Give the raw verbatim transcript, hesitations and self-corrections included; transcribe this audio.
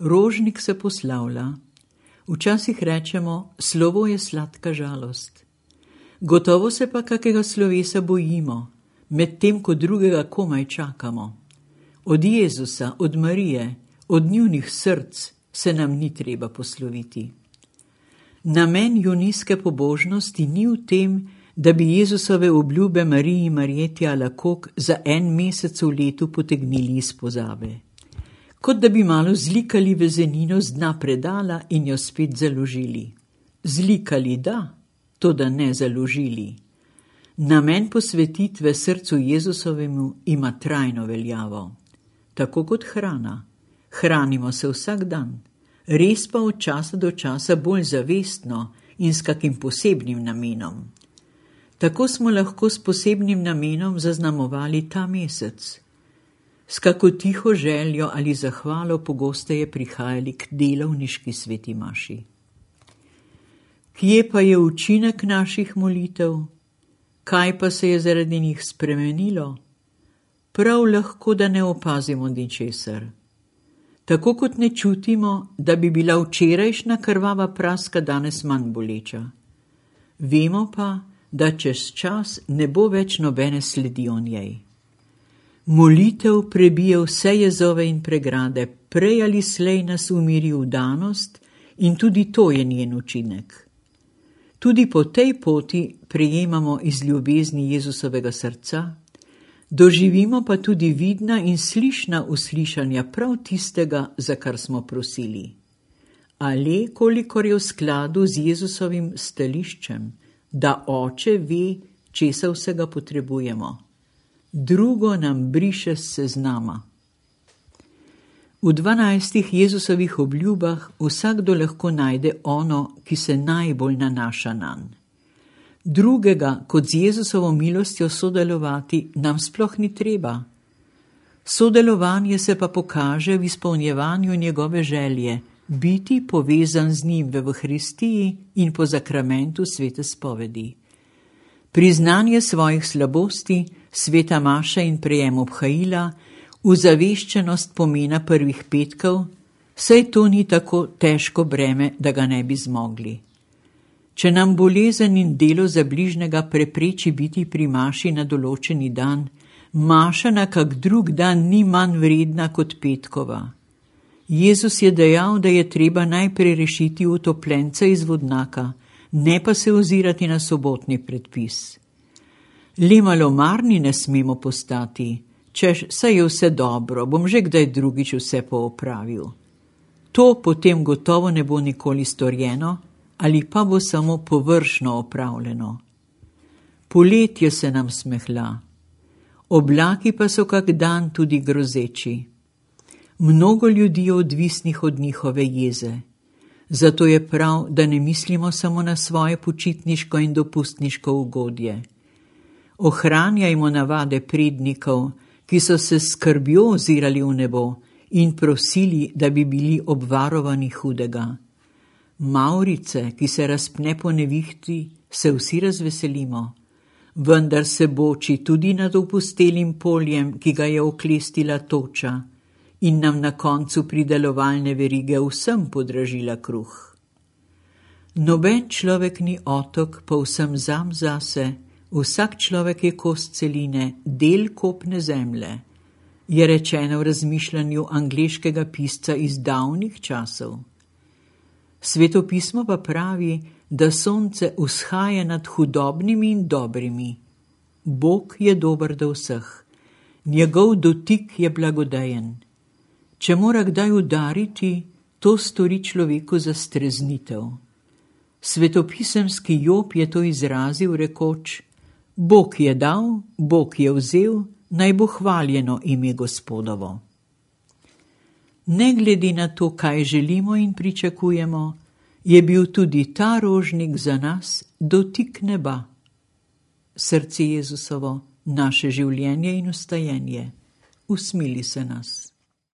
Rožnik se poslavlja. Včasih rečemo, slovo je sladka žalost. Gotovo se pa kakega slovesa bojimo, medtem ko drugega komaj čakamo. Od Jezusa, od Marije, od njunih src se nam ni treba posloviti. Namen junijske pobožnosti ni v tem, da bi Jezusove obljube Mariji Marjeti Alakok za en mesec v letu potegnili iz pozabe. Kot da bi malo zlikali vezenino z dna predala in jo spet založili. Zlikali da, to da ne založili. Namen posvetitve srcu Jezusovemu ima trajno veljavo. Tako kot hrana. Hranimo se vsak dan, res pa od časa do časa bolj zavestno in s kakim posebnim namenom. Tako smo lahko s posebnim namenom zaznamovali ta mesec. S kako tiho željo ali zahvalo pogosteje prihajali k delovniški sveti maši. Kje pa je učinek naših molitev? Kaj pa se je zaradi njih spremenilo? Prav lahko, da ne opazimo ničesar. Tako kot ne čutimo, da bi bila včerajšnja krvava praska danes manj boleča. Vemo pa, da čez čas ne bo več nobene sledi o njej. Molitev prebije vse jezove in pregrade, prej ali slej nas umiri vdanost in tudi to je njen učinek. Tudi po tej poti prejemamo iz ljubezni Jezusovega srca, doživimo pa tudi vidna in slišna uslišanja prav tistega, za kar smo prosili. Ali kolikor je v skladu z Jezusovim stališčem, da Oče ve, česa vsega potrebujemo. Drugo nam briše s seznama. V dvanajstih Jezusovih obljubah vsakdo lahko najde ono, ki se najbolj nanaša nanj. Drugega, kot z Jezusovo milostjo sodelovati, nam sploh ni treba. Sodelovanje se pa pokaže v izpolnjevanju njegove želje, biti povezan z njim v Evharistiji in po zakramentu svete spovedi. Priznanje svojih slabosti, sveta maša in prejem obhajila, uzaveščenost pomena prvih petkov, saj to ni tako težko breme, da ga ne bi zmogli. Če nam bolezen in delo za bližnjega prepreči biti pri maši na določeni dan, maša na kak drug dan ni manj vredna kot petkova. Jezus je dejal, da je treba najprej rešiti utopljence iz vodnaka, ne pa se ozirati na sobotni predpis. Le malomarni ne smemo postati, češ, saj je vse dobro, bom že kdaj drugič vse poopravil. To potem gotovo ne bo nikoli storjeno, ali pa bo samo površno opravljeno. Poletje se nam smehla, oblaki pa so kak dan tudi grozeči. Mnogo ljudi je odvisnih od njihove jeze, zato je prav, da ne mislimo samo na svoje počitniško in dopustniško ugodje. Ohranjajmo navade prednikov, ki so se s skrbjo ozirali v nebo in prosili, da bi bili obvarovani hudega. Mavrice, ki se razpne po nevihti, se vsi razveselimo, vendar se boči tudi nad opustelim poljem, ki ga je oklestila toča in nam na koncu pridelovalne verige vsem podražila kruh. Noben človek ni otok, povsem sam zase, vsak človek je kost celine, del kopne zemlje, je rečeno v razmišljanju angleškega pisca iz davnih časov. Svetopismo pa pravi, da sonce vzhaja nad hudobnimi in dobrimi. Bog je dober do vseh, njegov dotik je blagodejen. Če mora kdaj udariti, to stori človeku za streznitev. Svetopisemski Job je to izrazil rekoč: Bog je dal, Bog je vzel, naj bo hvaljeno ime Gospodovo. Ne glede na to, kaj želimo in pričakujemo, je bil tudi ta rožnik za nas dotik neba. Srce Jezusovo, naše življenje in vstajenje, usmili se nas.